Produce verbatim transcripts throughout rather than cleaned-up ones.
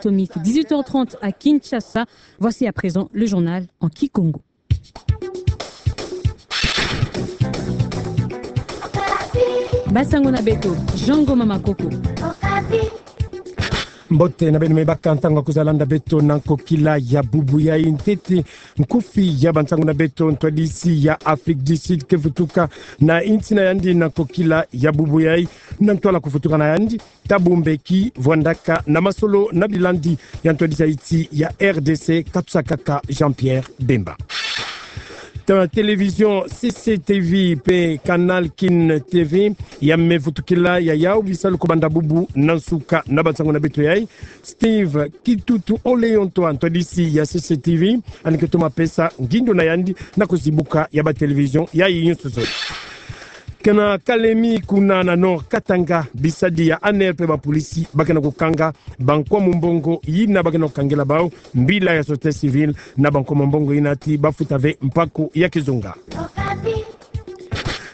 Atomique, dix-huit heures trente à Kinshasa. Voici à présent le journal en kikongo. Basango na beto, Jean Ngoma Makoko. Mbote na beno me baka ntangu ya kuza landa beto na nkokila ya bubu yai. Ntete nkufi ya bansangu na beto. Ntwadisi ya Afrique du Sud ke vutuka na insi na yandi na nkokila ya bubu yai, na ntwala kuvutuka na yandi, ta bombeki vwandaka na masolo na bilandi ya ntwadisi ya insi ya R D C, katusa kaka Jean-Pierre Bemba. Ta télévision C C T V pe Canal Kin T V ya me vutukila ya yau bisalu ko banda bubu na nsuka na bansangu na beto yai. Steve Kitutu Oleontoa, ntwadisi ya C C T V, yandi ke toma pesa ngindo na yandi na kuzibuka ya ba télévision yai nyonso zole. Kana Kalemi kuna na Nord Katanga, bisadi ya A N R pe bapolisi ba ke na kukanga bankwa mumbongo yina ba ke na kukangela bau mbila ya société civile, na bankwa mumbongo yina ti ba futa ve mpaku ya kizunga.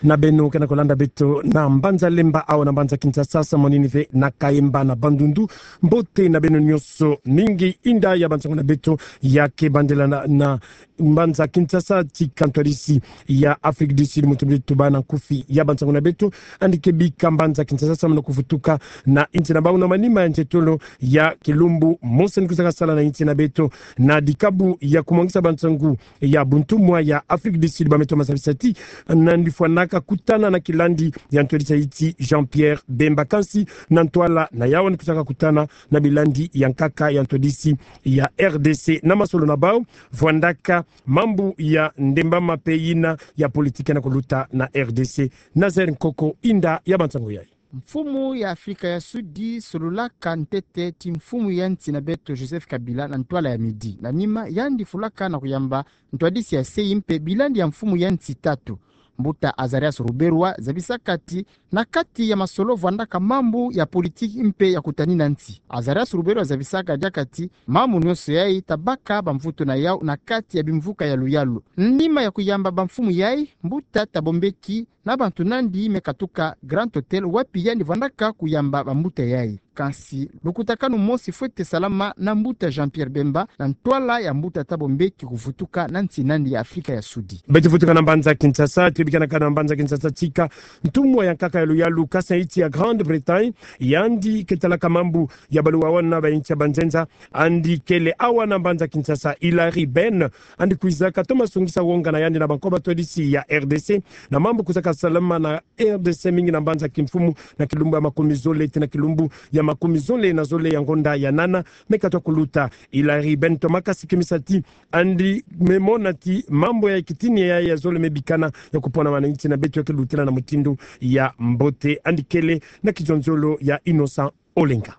Na beno ke na kulanda beto na mbanza Lemba, awa na mbanza Kinshasa, samonini ve na Kayemba na Bandundu. Mbote na beno nyonso, mingi inda ya bansangu na beto ya ke bandela na, na mbanza Kinshasa. Tika ntwadisi ya Afrique du Sud, muntu beto ba na nkufi ya bansangu na beto, yandi ke bika mbanza Kinshasa samu na kuvutuka na insi na bau na manima ya nzietolo ya kilumbu mosi yandi kwiza kasala na insi na beto, na dikabu ya kumwangisa bansangu ya buntumwa ya Afrique du Sud ba me toma zabisa ti nandi fwanaka kutana na kilandi ya ntwadisi ya insi Jean-Pierre Bemba. Kansi na ntwala na yau yandi kwizaka kutana na bilandi ya nkaka ya ntwadisi ya R D C na masolo na bau vwandaka mambu ya ndembama pe yina ya politique na kuluta na R D C. Nazaire Nkoko, inda ya bansangu yai. Mfumu ya Afrika ya Sudi sololaka ntete ti mfumu ya nsi na beto Joseph Kabila na ntwala ya midi. Na nima, yandi fulaka na kuyamba ntwadisi ya se yi mpe bilandi ya mfumu ya nsi tatu. Mbuta Azarias Ruberwa zabisaka ti na kati ya masolo vwandaka mambu ya politique mpe ya kutanina nsi. Azarias Ruberwa zabisaka diaka ti mambu nyonso yai ta baka bamvutu na yau na kati ya bimvuka ya luyalu. Nima ya kuyamba bamfumu yai, mbuta ta bombeki na bantu nandi me katuka Grand Hôtel wapi yandi vwandaka kuyamba bambuta yai. Kansi lukutakanu mosi fwete salama na mbuta Jean-Pierre Bemba na ntwala ya mbuta ta bombeki kuvutuka na nsi nandi ya Afrika ya Sudi. Beto vutuka na mbanza Kinshasa, tubikanaka na mbanza Kinshasa tika ntumwa ya nkaka ya luyalu, kasa insi ya Grande-Bretagne, yandi ke talaka mambu ya baluwa wana ba insi ya banzenza, yandi kele awa na mbanza Kinshasa. Hilary Benn, yandi kwizaka toma songisa wonga na yandi na bankwa batwadisi ya R D C na mambu kwizaka salama na R D C, mingi na mbanza kimfumu na kilumbu ya makumi zole tii na kilumbu ya makumi zole na zole ya ngonda ya nana me katwa kuluta. Hilary Benn tomaka sikimisa ti yandi me mona ti mambu ya kitini ya, ya zole me bikana ya kuponama na insi na beto ya ke lutila na mutindu ya mbote. Yandi kele na kizonzolo ya Innocent Olenga.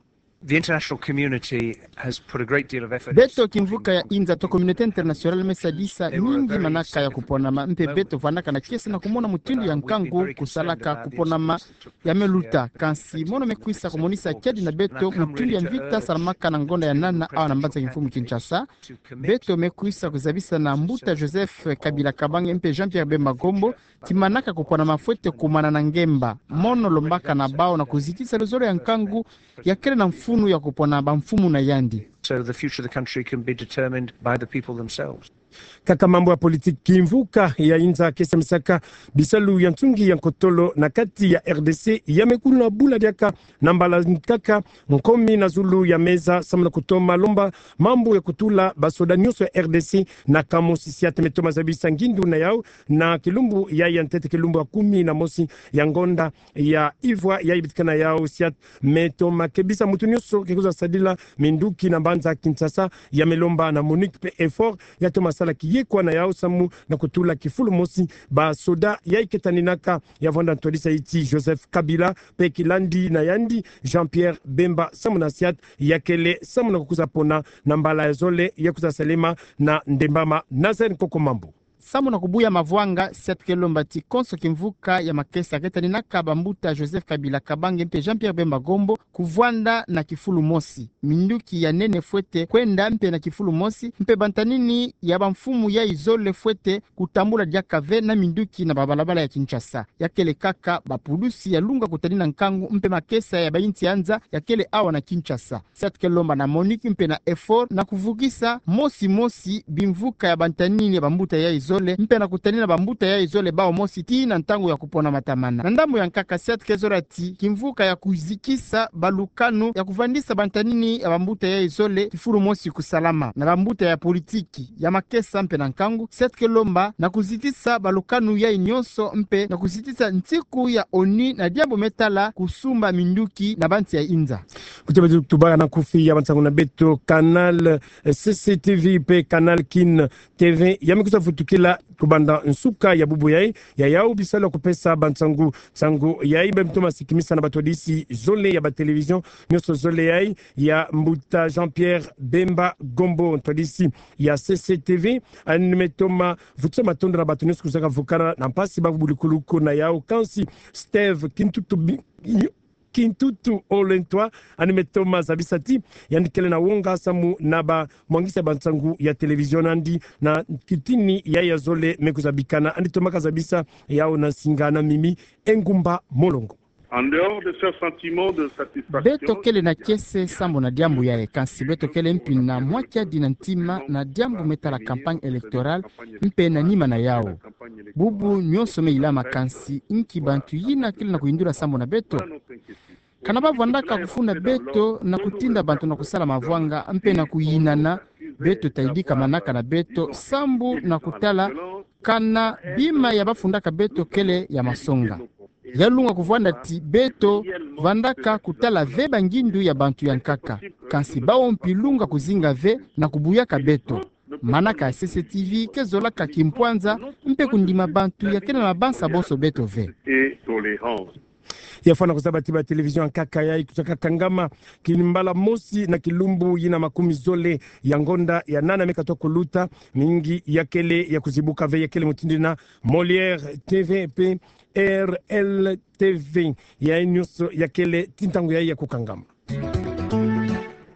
The international community has put a great deal of effort. Beto kimvuka ya inza to communauté internationale me sadisa mingi manaka ya kuponama, mpe beto vwandaka na kiese na kumona mutindu ya nkangu kusalaka kuponama ya me luta. Kansi mono me kwisa kumonisa kiadi na beto mutindu ya mvita salamaka na ngonda ya nana awa na mbanza kimfumu Kinshasa. Beto me kwisa kuzabisa na mbuta Joseph Kabila Kabange mpe Jean-Pierre Bemba Gombo ti manaka kuponama fwete kumana na ngemba. Mono lombaka na bau na kuzitisa luzolo ya nkangu ya kele na mfunu ya kupona bamfumu na yandi. So the future of the country can be determined by the people themselves. Kaka mambu ya politique, kimvuka ya inza ke samisaka bisalu ya nsungi ya nkotolo na kati ya R D C ya me kuna bula diaka na mbala nkaka nkomi na zulu ya meza samu na kutoma lomba mambu ya kutula basoda nyonso ya R D C na kamosi. Siat me toma zabisa ngindu na yau na kilumbu ya, ya ntete kilumbu ya kumi na mosi ya ngonda ya ivwa ya ibitika na yau. Siat me toma kebisa mutu nyonso ke kwiza sadila minduki na mbanza Kinshasa ya me lomba na MONUC pe effort ya toma sala kiyekwa na yau samu na kutula kifulu mosi basoda ya iketaninaka ya vwanda ntwadisa iti Joseph Kabila pe kilandi na yandi Jean-Pierre Bemba samu na siat ya kele samu na kukwiza pona na mbala ya zole ya kwiza salema na ndembama. Nazaire Nkoko, mambu. Samu na kubuya mavwanga, sia tukele lomba ti konso kimvuka ya makesa ketaninaka bambuta Joseph Kabila Kabange mpe Jean-Pierre Bemba Gombo kuvwanda na kifulu mosi, minduki ya nene fwete kwenda mpe na kifulu mosi, mpe bantanini ya bamfumu yayi zole fwete kutambula diaka ve na minduki na babalabala ya Kinshasa. Ya kele kaka bapulusi ya lunga kutanina nkangu mpe makesa ya bayinsi ya nza ya kele awa na Kinshasa. Sia tukele lomba na MONUC mpe na EUFOR na kuvukisa mosi mosi bimvuka ya bantanini ya bambuta yayi zole mpe na kutanina bambuta yayi zole bawu mosi tii na ntangu ya kupona matamana. Na ndambu ya nkaka, sia tukele zola ti kimvuka ya kuzikisa balukanu ya kuvandisa bantanini ya bambuta yayi zole kifulu mosi kusalama na bambuta ya politiki, ya makesa mpe na nkangu. Sia tukele lomba na kuzitisa balukanu yayi nyonso mpe na kuzitisa nsiku ya ONU na diambu me tala kusumba minduki na bansi ya inza. Kutia beto tubaka na nkufi ya bansangu na beto, canal, eh, C C T V mpe canal Kin T V ya me kwiza vutukila kubanda nsuka ya bubu yayi, ya yawu bisalu ya kupesa bansangu, nsangu yayi bamtoma sikimisa na batwadisi zole ya batelevision nyonso zole yayi ya mbuta Jean-Pierre Bemba Gombo, ntwadisi ya C C T V. Yandi me toma vutisa matondo na bato nyonso kuzaka vukana na mpasi babulikuluku na yawu, kansi Steve Kintutu bi-, Kintutu Olentwa, yandi me toma zabisa ti yandi kele na wonga samu na bamwangisi ya bansangu ya television na yandi na kitini yayi ya zole me kwiza bikana. Yandi tomaka zabisa yawu na nsinga na Mimi Engumba Molongo. En dehors de ce sentiment de satisfaction, beto kele na kiese sambu na diambu yayi, kansi beto kele mpi na mwa kiadi na ntima na diambu me tala campagne électorale mpe na nima na yawu. Bubu nyonso me ilama, kansi nki bantu yina kele na kuyindula sambu na beto? Kana bavwandaka kufunda beto na kutinda bantu na kusala mavwanga mpe na kuyinana, beto tayidika manaka na beto sambu na kutala kana bima ya bafundaka beto kele ya masonga. Ya lunga kuvwanda ti beto vandaka kutala ve bangindu ya bantu ya nkaka, kansi bawu mpi lunga kuzinga ve na kubuyaka beto. Manaka ya C C T V ke zolaka kimpwanza mpe kundima bantu ya kele na mabansa bonso beto ve. Ya fwana kuzaba ti batelevision ya nkaka yayi kwiza kakangama kimbala mosi na kilumbu yina makumi zole ya ngonda ya nana me katuka kuluta, mingi ya kele ya kuzibuka ve, ya kele mutindu yina Molière T V mpe R L T V. Yayi nyonso ya kele ti ntangu yayi ya kukangama.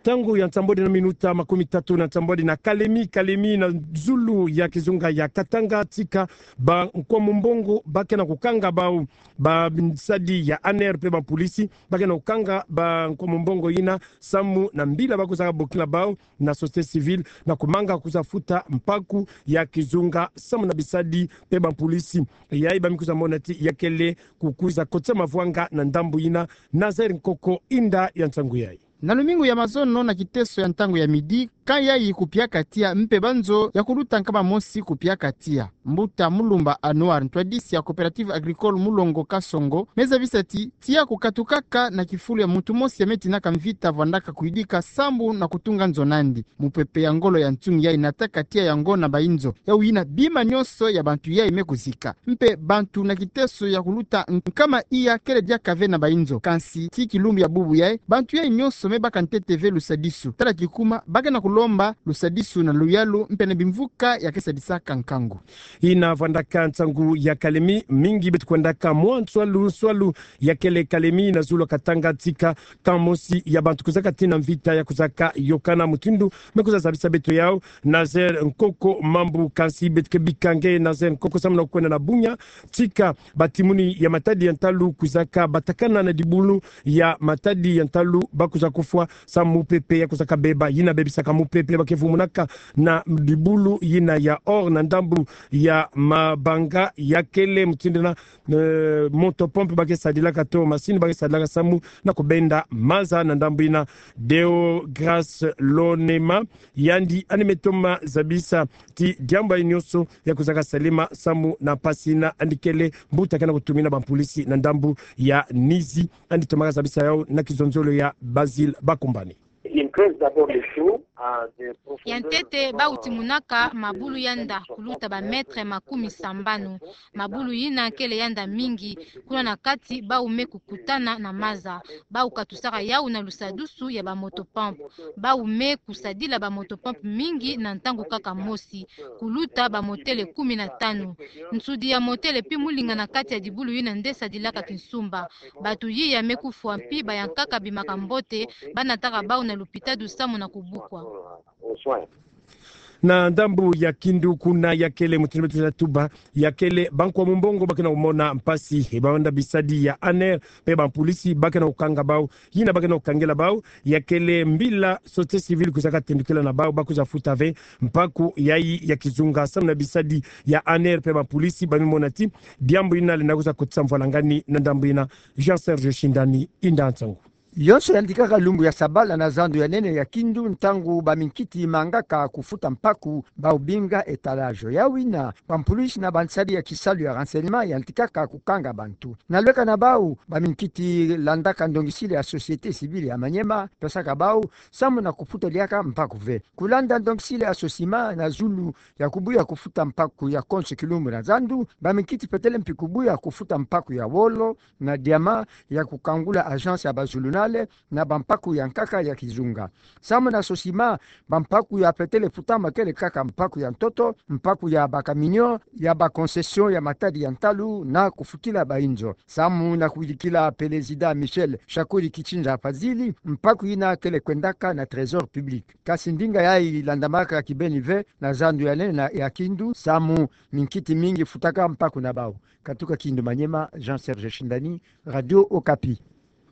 Ntangu ya nsambwadi na minuta makumi tatu na nsambwadi na Kalemi, Kalemi na zulu ya kizunga ya Katanga, tika ba nkwamumbongo ba ke na kukanga bawu, bamsadi ya ANR mpe bampolisi ba ke na kukanga ba nkwamumbongo yina samu na mbila ba kuzaka bokila bawu na société civile na kumanga kwiza futa mpaku ya kizunga samu na bisadi mpe bampolisi. Yayi ba me kwiza mona ti ya kele kukwiza kotisa mavwanga na ndambu yina. Nazaire Nkoko, inda ya nsangu yayi. Na lumingu ya mazono na kiteso ya ntangu ya midi, camp yayi kupiaka tiya mpe banzo ya kuluta nkama mosi kupiaka tiya. Mbuta Mulumba Anouar, ntwadisi ya Coopérative Agricole Mulongo Kasongo, me zabisa ti tiya kukatukaka na kifulu ya muntu mosi ya me tinaka mvita vwandaka kuyidika sambu na kutunga nzo nandi. Mupepe ya ngolo ya ntsung yayi nataka tiya yango na bayinzo. Yawu yina bima nyonso ya bantu yayi me kuzika. Mpe bantu na kiteso ya kuluta nkama iya kele diaka ve na bayinzo. Kansi tii kilumbu ya bubu yayi, bantu yayi nyonso me baka ntete ve lusadisu. Tala kikuma, ba ke na kulomba lusadisu na luyalu mpe na bimvuka ya ke sadisaka nkangu. Yina vwandaka nsangu ya Kalemi, mingi beto kwendaka mwa nswalu nswalu ya kele Kalemi na zulu ya Katanga, tika camp mosi ya bantu kuzaka tina mvita ya kuzaka yokana mutindu me kwiza zabisa beto yawu Nazaire Nkoko Mambu. Kansi beto ke bika nge Nazaire Nkoko samu na kwenda na bunya, tika batimuni ya matadi ya ntalu kuzaka batakana na dibulu ya matadi ya ntalu ba kwiza kufwa samu mupepe ya kwiza kabeba. Yina bebisaka mupepe ba ke vumunaka na dibulu yina ya Or na ndambu ya Mabanga, ya kele mutindu yina, eh, moto-pompe ba ke sadilaka to masini ba ke sadilaka samu na kubenda maza na ndambu yina. Deogrâce Lonema, yandi yandi me toma zabisa ti diambu yayi nyonso ya kuzaka salema samu na mpasi yina, yandi kele mbuta ke na kutumina bampolisi na ndambu ya Nizi. Yandi tomaka zabisa yawu na kizonzolo ya Basile Bakumbani. Il creuve d'abord le trou à des profondeurs. Ya ntete, bau timunaka mabulu yanda kuluta ba mètre makumi sambanu. Mabulu yina kele yanda mingi, kuna na kati bau me kukutana na maza. Bau katusaka yau na lusadusu ya ba motopompe. Bau me kusadila ba motopompe mingi na ntangu kaka mosi, kuluta ba motele kumi na tanu. Nsudi ya motele pi mulinga na kati ya dibulu yina nde sadilaka kinsumba. Bantu yiya me kufwa mpi bayankaka bimaka mbote, banataka bau na lupitalu samu na kubukwa. Na ndambu ya Kindu kuna ya kele, mutini beto za tuba, ya kele bankwa mumbongo ba kena kumona mpasi, e bawanda bisadi ya ANR, mpe bampulisi ba kena kukanga bau. Yina ba kena kukangela bau, ya kele mbila société civile kwiza katendukila na bau, ba kwiza futa ve mpaku yayi ya kizunga, samu na bisadi ya ANR mpe bampulisi ba me mona ti diambu yina lenda kwiza kotisa mvwalangani na ndambu yina. Jean Serge Shindani, inda nsangu. Yonso yantikaka lumbu ya sabala na zandu ya nene ya Kindu, ntangu baminkiti mangaka kufuta mpaku, bau binga étalage. Yawina, bampulisi na bansadi ya kisalu ya renseignement yantikaka kukanga bantu. Na lweka na bau, baminkiti landaka ndongisili ya société civile ya Maniema, pesaka bau samu na kufuta diaka mpaku ve. Kulanda ndongisili ya SOCIMA na zulu ya kubuya kufuta mpaku ya konso kilumbu na zandu, baminkiti petele mpi kubuya kufuta mpaku ya wolo na diamant ya kukangula agence ya bazulunale na bampaku yankaka ya kizunga. Samu na SOCIMA, bampaku ya petele futama kele kaka mpaku ya ntoto, mpaku ya bacamion, ya baconcession ya matadi ya ntalu na kufutila bainzo. Samu na kuyidikila Pelezida Michel Shakuri Kichinza Fazili, mpaku yina kele kwendaka na trésor public. Kasi ndinga yayi landamaka kibeni ve na zandu ya nene na ya Kindu, samu minkiti mingi futaka mpaku na bau. Katuka Kindu Maniema, Jean Serge Shindani, Radio Okapi.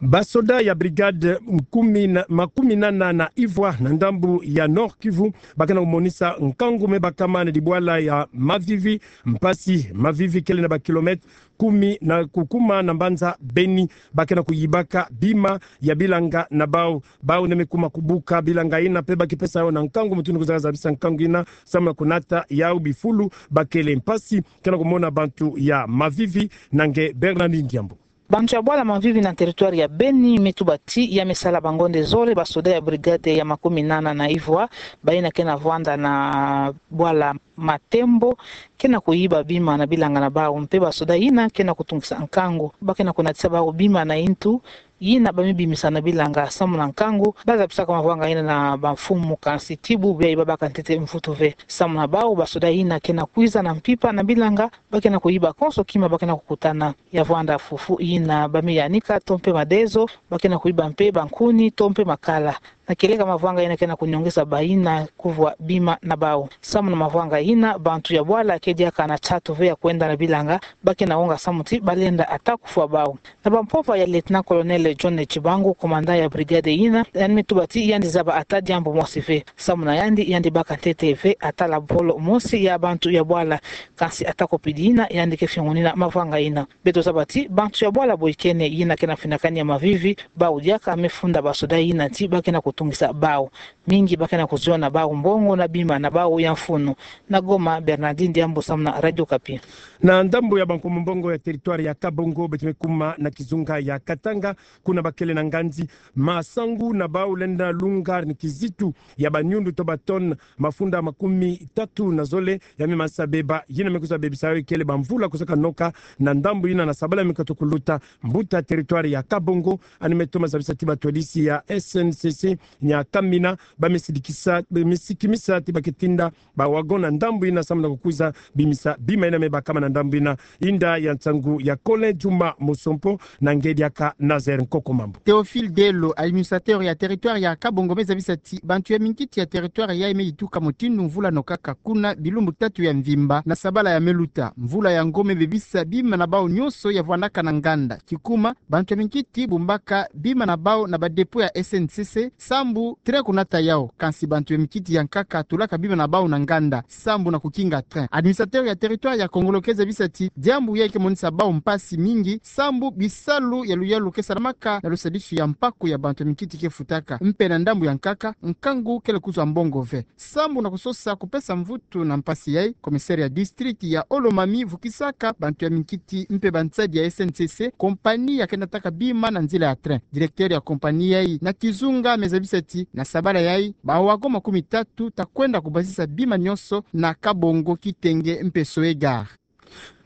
Basoda ya brigade nkumi na, makumi nana na ivwa na ndambu ya Nord-Kivu, ba kena kumonisa nkangu me bakama na dibwala ya Mavivi, mpasi Mavivi kele na bakilomètre kumi na kukuma na mbanza Beni, ba kena kuyibaka bima ya bilanga na bau. Bau nde me kuma kubuka bilanga yina mpe ba kipesa yau na nkangu, mutini kwiza zabisa nkangu yina samu na kunata yau bifulu ba kele. Mpasi kena kumona bantu ya Mavivi na nge Bernardine Diambu. Bantu ya bwala Mavivi na territoire ya Beni me tuba ti ya me sala bangonde zole basoda ya brigade ya makumi nana na ivwa, bayina kena vwanda na bwala Matembo, kena kuyiba bima na bilanga na bau, mpe basoda yina kena kutungisa nkangu, ba kena kunatisa bau bima na intu yina ba me bimisa na bilanga. Samu na nkangu, ba zabisaka mavwanga yina na bamfumu, kansi ti bubu yayi ba baka ntete mvutu ve. Samu na bau, basoda yina kena kwiza na mpimpa na bilanga, ba kena kuyiba konso kima ba kena kukutana. Ya vwanda fufu yina ba me yanika, to mpe madezo, ba kena kuyiba mpe bankuni, to mpe makala. Na kieleka mavwanga yina kena kunyongesa bayina kuvwa bima na bau. Samu na mavwanga yina, bantu ya bwala ke diaka na tatu ve ya kwenda na bilanga, ba kena wonga samu ti ba lenda ata kufwa bau. Na bampova ya Lieutenant-colonel John Tshibangu, commandant ya brigade yina, yandi me tuba ti yandi zaba ata diambu mosi ve. Samu na yandi, yandi baka ntete ve ata lapolo mosi ya bantu ya bwala. Kansi ata ko pidi yina, yandi ke fiongonina mavwanga yina. Beto zaba ti bantu ya bwala boyikene yina kena finakani ya Mavivi, bau diaka me funda basoda yina ti ba kena kutungisa bau. Mingi ba kena kuziona bau mbongo na bima na bau ya mfunu. Na Goma, Bernardine Diambu samu na Radio Okapi. Na ndambu ya bankumu mbongo ya territoire ya Kabongo, beto me kuma na kizunga ya Katanga, kuna ba kele na nganzi masangu na bau lenda lunga ni kizitu ya banyundu to ba tonnes mafunda makumi tatu na zole ya me manisa beba. Yina me kwiza bebisa yau kele bamvula kwiza kanoka na ndambu yina na sabala me katu kuluta. Mbuta territoire ya Kabongo yandi me toma zabisa ti batwadisi ya S N C C Nyakamina ba me sidikisa, ba me sikimisa ti ba ke tinda ba wagon na ndambu yina samu na kukwiza bimisa bima yina me bakama na ndambu yina. Inda ya nsangu ya Colin Juma Mosompo na nge diaka Nazaire Nkoko Mambu. Théophile Delo, administrateur ya territoire ya Kabongo, me zabisa ti bantu ya minkiti ya territoire yayi me yituka mutindu mvula nokaka kuna bilumbu tatu ya mvimba na sabala ya me luta. Mvula yango me bebisa bima na bau nyonso ya vwandaka na nganda. Kikuma, bantu ya minkiti bumbaka bima na bau na ba dépôt ya S N C C, sambu train kunata yau. Kansi bantu ya mikiti ya nkaka tulaka bima na bau na nganda sambu na kukinga train. Administrateur ya territoire ya Kongolo ke zabisa ti diambu yai ke monisa bau mpasi mingi sambu bisalu ya luyalu ke salamaka na lusadisu ya mpaku ya bantu ya mikiti ke futaka. Mpe na ndambu ya nkaka, nkangu kele kuzwa mbongo ve. Sambu na kusosa kupesa mvutu na mpasi yai, commissaire ya district ya Haut-Lomami vukisaka bantu ya mikiti mpe bansadi ya S N C C, kompani ya ke nataka bima na nzila ya train. Directeur ya kompani yai na kizunga me zabisa ti na sabala yai, ba wagon makumi tatu ta kwenda kubasisa bima nyonso na Kabongo, Kitenge mpe Sohé-Gare.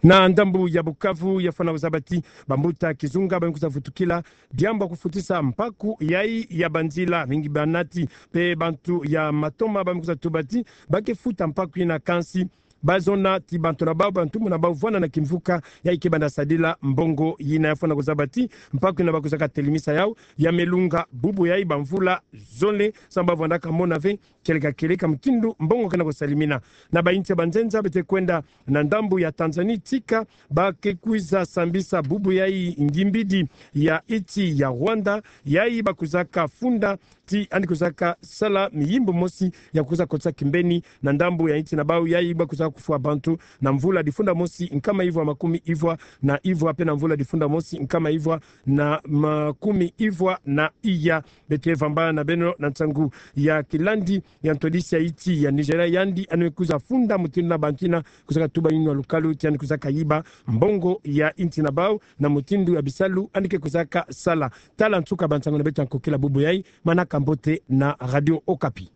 Na ndambu ya Bukavu, ya fwana kuzaba ti bambuta kizunga ba me kuza vutukila diambu ya kufutisa mpaku yai ya banzila. Mingi banati mpe bantu ya matoma ba me kuza tuba ti ba ke futa mpaku yina, kansi ba zona ti bantu na bau, bantumbu na bau vwanda na kimvuka yai ke banda sadila mbongo yina. Ya fwana kuzaba ti mpaku yina ba kuzaka telimisa yau ya me lunga bubu yai bamvula zole, sambu ba vwandaka mona ve kieleka kieleka mutindu mbongo ke na kusalimina. Na bainti ya banzenza beto ke kwenda na ndambu ya Tanzanie, tika ba ke kwiza sambisa bubu yai ngimbidi ya inti ya Rwanda, yai ba kwizaka funda ti yandi kwizaka sala miyimbu mosi ya kwiza kotisa kimbeni na ndambu ya inti na bau, yai ba kwizaka kufwa bantu na mvula difunda mosi nkama ivwa makumi ivwa na ivwa, mpe na mvula difunda mosi nkama ivwa na makumi ivwa na iya. Beto ke vamba na beno na nsangu ya kilandi ya ntwadisi ya inti ya Nigeria, yandi yandi me kwiza funda mutindu na bantu yina kwizaka tuba yinwa lukalu ti yandi kwizaka yiba mbongo ya inti na bau na mutindu ya bisalu yandi ke kwizaka sala. Tala nsuka bansangu na beto ya nkokila bubu yai. Manaka mbote na Radio Okapi.